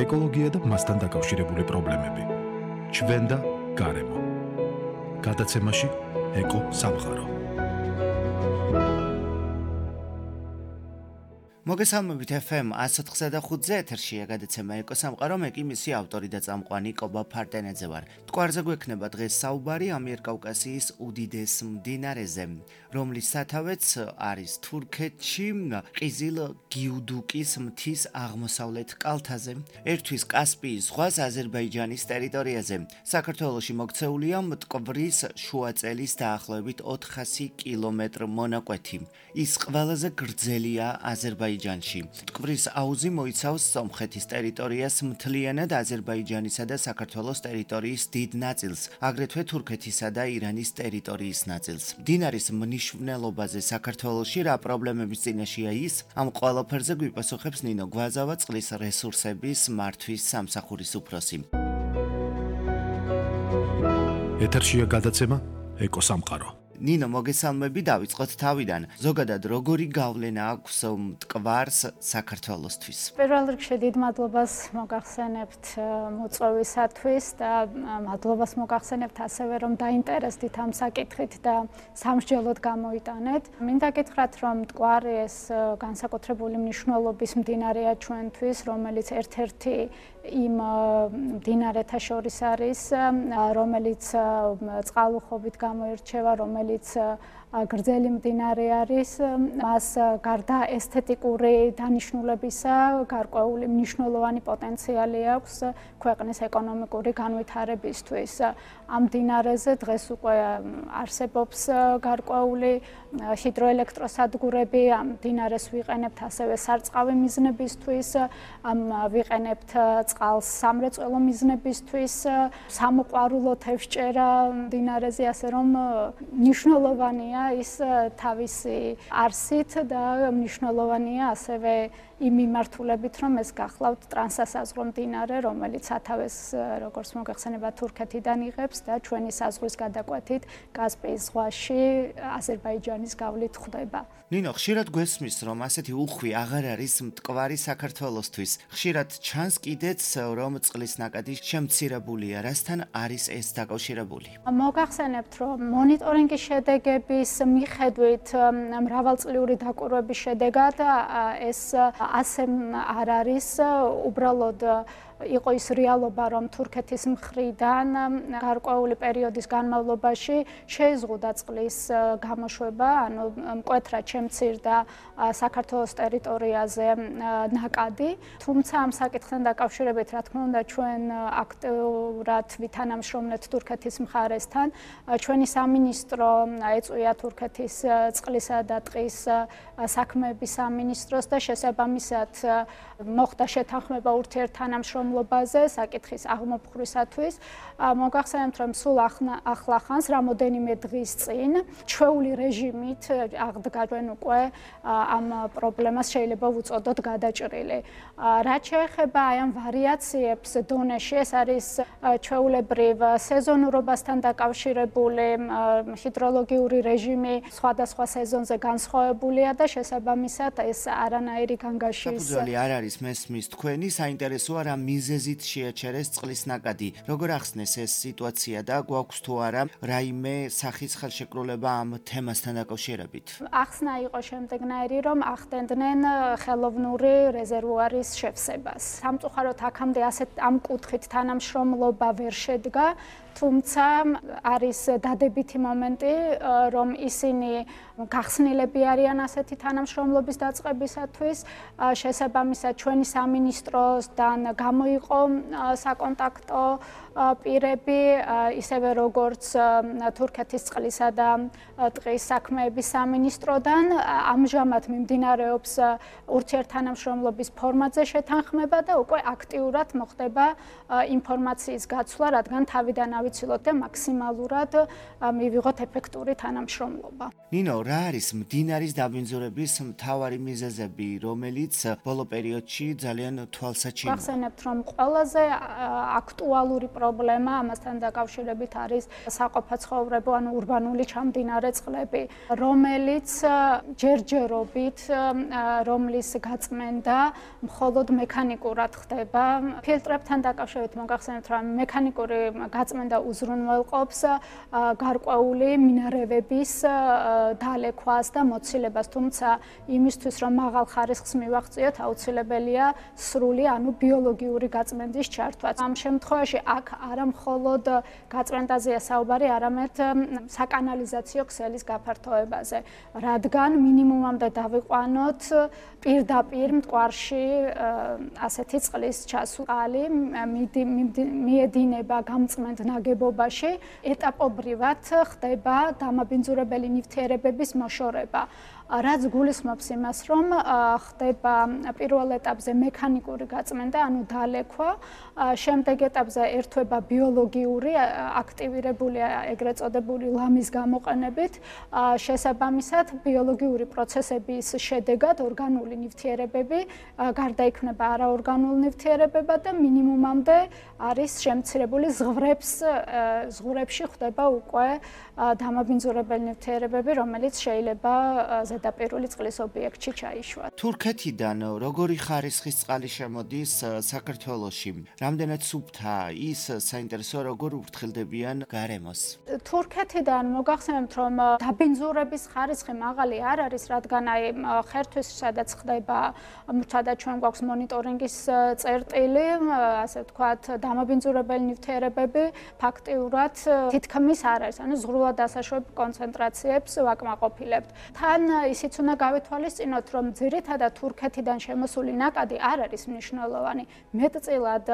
ეკოლოგია და მასთან დაკავშირებული პრობლემები. ჩვენ და გარემო. გადაცემაში ეკო სამყარო. მოგესალმებით FM 104.5-ზე ეთერშია გადაცემა ეკო სამყარო, მე კი მისი ავტორი და წამყვანი კობა ფარტენაძე ვარ. მტკვარზე გვექნება დღეს საუბარი ამიერკავკასიის უდიდეს მდინარეზე, რომლის სათავეც არის თურქეთში, ყიზილ გიუდუკის მთის აღმოსავლეთ კალთაზე, ერთვის კასპიის ზღვას აზერბაიჯანის ტერიტორიაზე. საქართველოში მოქცეულია მტკვრის შუაწელის დაახლოებით 400 კილომეტრ მონაკვეთი. ის ყველაზე გრძელია აზერბაიჯანში. მტკვრის აუზი მოიცავს სომხეთის ტერიტორიას მთლიანად, აზერბაიჯანისა და საქართველოს ტერიტორიის დიდ ნაწილს, აგრეთვე თურქეთისა და ირანის ტერიტორიის ნაწილს. მდინარის მნიშვნელობაზე საქართველოში რა პრობლემების წინაშეა ის? ამ ყველაფერზე გვიპასუხებს ნინო გვაზავა, წყლის რესურსების მართვის სამსახურის უფროსი. ეთერშია გადაცემა ეკო სამყარო. ნინო, მოგესალმები, დავიწყოთ თავიდან. ზოგადად როგორი გავლენა აქვს მტკვარს საქართველოსთვის? პირველ რიგში დიდ მადლობას მოგახსენებთ მოწვევისათვის და მადლობას მოგახსენებთ ასევე, რომ დაინტერესდით ამ საკითხით და სამსჯელოდ გამოიტანეთ. მინდა გითხრათ, რომ მტკვარი ეს განსაკუთრებული მნიშვნელობის მდინარეა ჩვენთვის, რომელიც ერთ-ერთი იმ მდინარეთა შორის არის, რომელიც წყალუხვობით გამოირჩევა, რომელიც გრძელი მდინარე არის, მას გარდა ესთეტიკური დანიშნულებისა გარკვეული მნიშვნელოვანი პოტენციალი აქვს ქვეყნის ეკონომიკური განვითარებისთვის. ამ მდინარეზე დღეს უკვე არსებობს გარკვეული ჰიდროელექტროსადგურები, ამ მდინარეს ვიყენებთ ასევე სარწყავი მიზნებისთვის, ვიყენებთ წყალს სამრეწველო მიზნებისთვის, სამოყვარულო თევზჭერა მდინარეზე, ასე რომ მნიშვნელოვანია ის თავისი არსით და მნიშვნელოვანია ასევე იმ მიმართულებით, რომ ეს გახლავთ ტრანსსაზღვრო მდინარე, რომელიც სათავეს, როგორც მოგეხსენება, თურქეთიდან იღებს და ჩვენი საზღვრის გადაკვეთით კასპიის ზღვაში აზერბაიჯანის გავლით ხვდება. ნინო, ხშირად გვესმის, რომ ასეთი უხვი აღარ არის მტკვარი საქართველოსთვის. ხშირად ჩანს კიდეც, რომ წყლის ნაკადი შემცირებულია. რასთან არის ეს დაკავშირებული? მოგახსენებთ, რომ მონიტორინგის შედეგების მიხედვით მრავალწლიური დაკვირვების შედეგად ეს ასე არ არის, უბრალოდ იყო ის რეალობა, რომ თურქეთის მხრიდან გარკვეული პერიოდის განმავლობაში შეიზღუდა წყლის გამოშვება, ანუ მკვეთრად შემცირდა საქართველოს ტერიტორიაზე ნაკადი. თუმცა ამ საკითხთან დაკავშირებით, რა თქმა უნდა, ჩვენ აქტიურად ვითანამშრომლეთ თურქეთის მხარესთან. ჩვენი სამინისტრო ეწვია თურქეთის წყლისა და ტყის საქმეების სამინისტროს და შესაბამისად მოხდა შეთანხმება ურთიერთთანამშრომლობაზე საკითხის აღმოფხვრისათვის. მოგახსენებთ, რომ სულ ახლახანს, რამოდენიმე დღის წინ, ჩვეული რეჟიმით აღდგა ჩვენ უკვე ამ პრობლემას შეიძლება ვუწოდოთ გადაჭრილი. რაც შეეხება აი ამ ვარიაციებს დონეში, ეს არის ჩვეულებრივ სეზონურობასთან დაკავშირებული ჰიდროლოგიური რეჟიმი სხვადასხვა სეზონზე განსხვავებულია და შესაბამისად ეს არანაირი განგაშის საფუძველი არ არის მესმის თქვენი, საინტერესოა რა მიზეზით შეაჩერეს წყლის ნაკადი. როგორ ახსნეს ეს სიტუაცია და გვაქვს თუ არა რაიმე სახის ხელშეკრულება ამ თემასთან დაკავშირებით? ახსნა იყო შემდეგნაირი, რომ ახდენდნენ ხელოვნური რეზერვუარის შევსებას. სამწუხაროდ აქამდე ასეთ ამ კუთხით თანამშრომლობა ვერ შედგა, თუმცა არის დადებითი მომენტი, რომ ისინი გახსნილები არიან ასეთი თანამშრომლობის დაწყებისათვის. შესაბამისად ჩვენი სამინისტროსთან გამოიყო საკონტაქტო პირები, ისევე როგორც თურქეთის წყლისა და ტყის საქმეების სამინისტროდან. ამჟამად მიმდინარეობს ურთიერთთანამშრომლობის ფორმატზე შეთანხმება და უკვე აქტიურად მოხდება ინფორმაციის გაცვლა, რადგან თავიდან ავიცილოთ და მაქსიმალურად მივიღოთ ეფექტური თანამშრომლობა. თანამშრომლობა. ნინო, რა არის მდინარის დაბინძურების მთავარი მიზეზები, რომელიც ბოლო პერიოდში ძალიან თვალსაჩინოა? გახსენებთ, რომ ყველაზე აქტუალური პრობლემა ამასთან დაკავშირებით არის საყოფაცხოვრებო ან ურბანული ჩამდინარე წყლები, რომელიც ჯერჯერობით რომლის გაწმენდა მხოლოდ მექანიკურად ხდება. ფილტრებთან დაკავშირებით მოგახსენებთ, რომ მექანიკური გაწმენდა უზრუნველყოფს გარკვეული მინარევების დალექვას და მოცილებას, თუმცა იმისთვის, რომ მაღალ ხარისხს მივაღწიოთ, აუცილებელია სრული, ანუ ბიოლოგიური გაწმენდის ჩართვა. ამ შემთხვევაში აქ არა მხოლოდ გაწმენდაზეა საუბარი, არამედ საკანალიზაციო ქსელის გაფართოებაზე, რადგან მინიმუმამდე დავიყვანოთ პირდაპირ მტკვარში ასეთი წყლის ჩასვალი მიედინება გამწმენდ ნაგებობაში, ეტაპობრივად ხდება დამაბინძურებელი ნივთიერებების მოშორება. რაც გულისხმობს იმას, რომ ხდება პირველ ეტაპზე მექანიკური გაწმენდა, ანუ დალექვა, შემდეგ ეტაპზე ერთვება ბიოლოგიური აქტივირებული ეგრეთ წოდებული ლამის გამოყენებით, შესაბამისად ბიოლოგიური პროცესების შედეგად ორგანული ნივთიერებები გარდაიქმნება არაორგანულ ნივთიერებებად და მინიმუმამდე არის შემცირებული ზღვრებში ხდება უკვე დამაბინძურებელი ნივთიერებები, რომელიც შეიძლება ზედაპირული წყლის ობიექტში ჩაიშვა. თურქეთიდან როგორი ხარისხის წყალი შემოდის საქართველოში? რამდენად სუფთაა ის საინტერესო როგორ ურთხილდებიან გარემოს? თურქეთიდან მოგახსენებთ, რომ დაბინძურების ხარისხი მაღალი არ არის, რადგან ხერთვის სადაც ხდება, სადაც ჩვენ გვაქვს მონიტორინგის წერტილი, ასე ვთქვათ, დამაბინძურებელი ნივთიერებები ფაქტიურად თითქმის არ არის, ანუ ზღვრულად დასაშვებ კონცენტრაციებს ვაკმაყოფილებთ. თან ისიც უნდა გავითვალისწინოთ, რომ ძირითადად თურქეთიდან შემოსული ნაკადი არ არის მნიშვნელოვანი. მეტწილად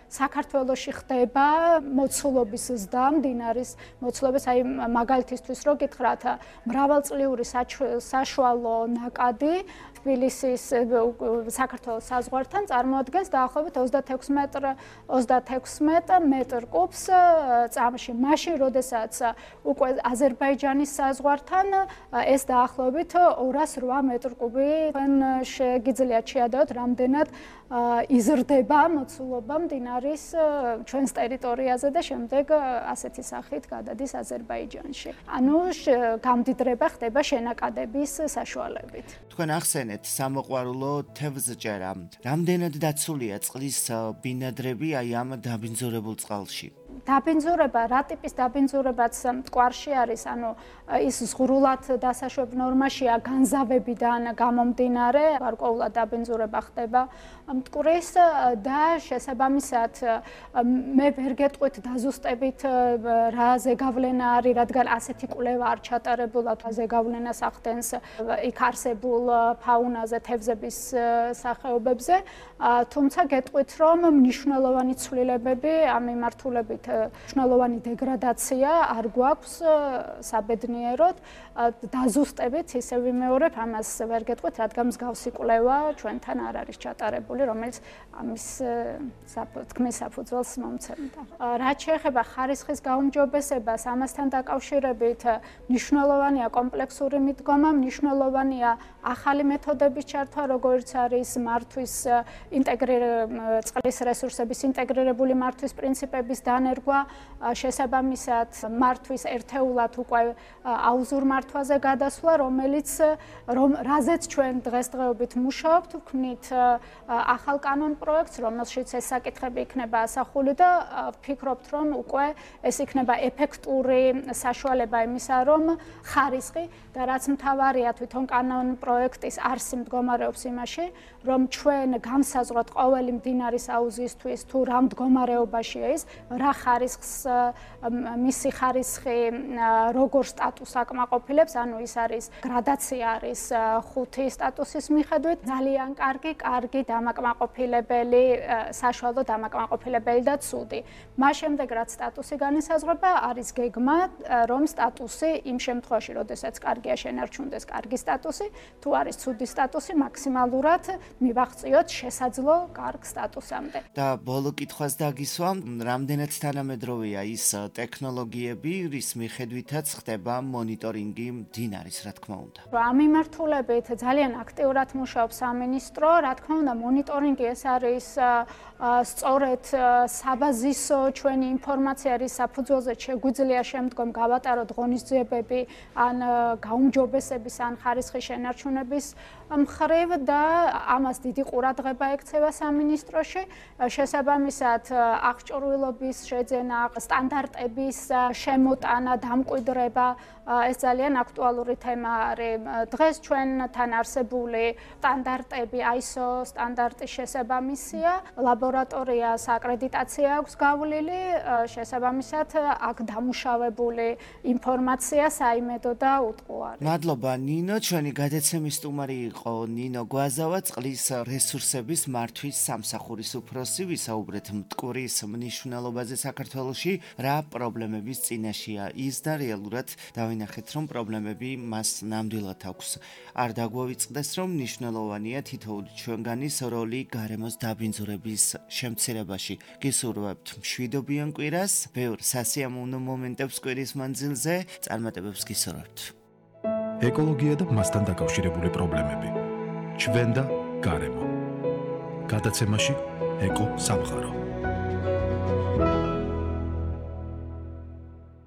საქართველოში ხდება მოცულობის ზრდა, მდინარის მოცულობის, აი მაგალითისთვის რო გითხრათ, მრავალწლიური საშუალო ნაკადი თბილისის საქართველოს საზღვართან წარმოადგენს დაახლოებით 36 მეტр კუბს წამში. მაშინ, როდესაც უკვე აზერბაიჯანის საზღვართან ეს დაახლოებით 208 მეტр კუბი შეგიძლიათ შეადოთ, რამდენად იზრდება მოცულობა მდინარის ჩვენს ტერიტორიაზე და შემდეგ ასეთი სახით გადადის აზერბაიჯანში. ანუ გამდიდრება ხდება შენაკადების საშუალებით. თქვენ ახსენეთ სამოყვარულო თევზჭერა. რამდენად დაცულია წყლის ბინადრები აი ამ დაბინძურებულ წყალში? დაბინძურება, რა ტიპის დაბინძურებაც მტკვარში არის, ანუ ის ზღვრულად დასაშვებ ნორმაშია განზავებიდან გამომდინარე, გარკვეულად დაბინძურება ხდება მტკვრის და შესაბამისად მე ვერ გეტყვით დაზუსტებით რა ზეგავლენა არის, რადგან ასეთი კვლევა არ ჩატარებულა ზეგავლენას ახდენს იქ არსებულ ფაუნაზე, თევზების სახეობებზე, თუმცა გეტყვით, რომ მნიშვნელოვანი ცვლილებები ამ მიმართულებით მნიშვნელოვანი დეგრადაცია არ გვაქვს საბედნიეროდ, დაზუსტებით ისე ვიმეორებ, ამას ვერ გეტყვით, რადგან მსგავსი კვლევა ჩვენთან არ არის ჩატარებული, რომელიც ამის თქმის საფუძველს მომცემდა. რაც შეეხება ხარისხის გაუმჯობესებას, ამასთან დაკავშირებით მნიშვნელოვანია კომპლექსური მიდგომა, მნიშვნელოვანია ახალი მეთოდების ჩართვა, როგორც არის მართვის წყლის რესურსების ინტეგრირებული მართვის პრინციპების დანერგვა, შესაბამისად მართვის ერთეულად უკვე აუზურ მართვაზე გადასვლა, რაზეც ჩვენ დღესდღეობით მუშაობთ, ვქმნით ახალ კანონ პროექტს, რომელშიც ეს საკითხები იქნება ასახული და ვფიქრობთ, რომ უკვე ეს იქნება ეფექტური საშუალება იმისა, რომ ხარისხი და რაც მთავარია თვითონ კანონ პროექტის არსი მდგომარეობს იმაში, რომ ჩვენ განსაზღვროთ ყოველი მდინარის აუზისთვის თუ რა მდგომარეობაშია ის, რა ხარისხს მისი ხარისხი როგორ სტატუსს აკმაყოფილებს, ანუ ის არის გრადაცია არის 5 სტატუსის მიხედვით, ძალიან კარგი დამაკმაყოფილებელი, საშუალო დამაკმაყოფილებელი და ცუდი. მას შემდეგ რაც სტატუსი განისაზღვრება, არის გეგმა, რომ სტატუსი იმ შემთხვევაში, როდესაც კარგია შენარჩუნდეს კარგი სტატუსი, თუ არის ცუდი სტატუსი, მაქსიმალურად მივაღწიოთ სასაძლო კარგ სტატუსამდე. და ბოლო კითხვას დაგისვამ, რამდენად თანამედროვეა ის ტექნოლოგიები, რის მიხედვითაც ხდება მონიტორინგი მდინარის, რა თქმა უნდა. ამ მიმართულებით ძალიან აქტიურად მუშაობს სამინისტრო, რა თქმა უნდა, მონიტორინგი ეს არის სწორედ საბაზისო ჩვენი ინფორმაცია, რის საფუძველზე შეგვიძლია შემდგომ გავატაროთ ღონისძიებები ან გაუმჯობესების ან ხარისხის შენარჩუნების მხრივ და ამას დიდი ყურადღება ექცევა სამინისტროში. შესაბამისად, აღჭურვილობის შეძენა, სტანდარტების შემოტანა, დამკვიდრება ეს ძალიან აქტუალური თემა არის. დღეს ჩვენთან არსებული სტანდარტები ISO სტანდარტის შესაბამისია, ლაბორატორიას აკრედიტაცია აქვს გავლილი, შესაბამისად აქ დამუშავებული ინფორმაცია საიმედო და უტყუ არის. მადლობა ნინო, ჩვენი გადაცემის სტუმარი იყო ნინო გვაზავა, წყლის რესურსების მართვის სამსახურის უფროსი. ვისაუბრეთ მტკვრის მნიშვნელობაზე საქართველოში, რა პრობლემების წინაშეა ის და რეალურად დავინახეთ, რომ პრობლემები მას ნამდვილად აქვს. არ დაგვავიწყდეს, რომ მნიშვნელოვანია თითოეული ჩვენგანის როლი გარემოს დაბინძურების შემცირებაში. გისურვებთ მშვიდობიან კვირას, ბევრ სასიამოვნო მომენტებს კვირის მანძილზე, წარმატებებს გისურვებთ. ეკოლოგია და მასთან დაკავშირებული პრობლემები. ჩვენ და გარემო. გადაცემაში ეკო სამყარო.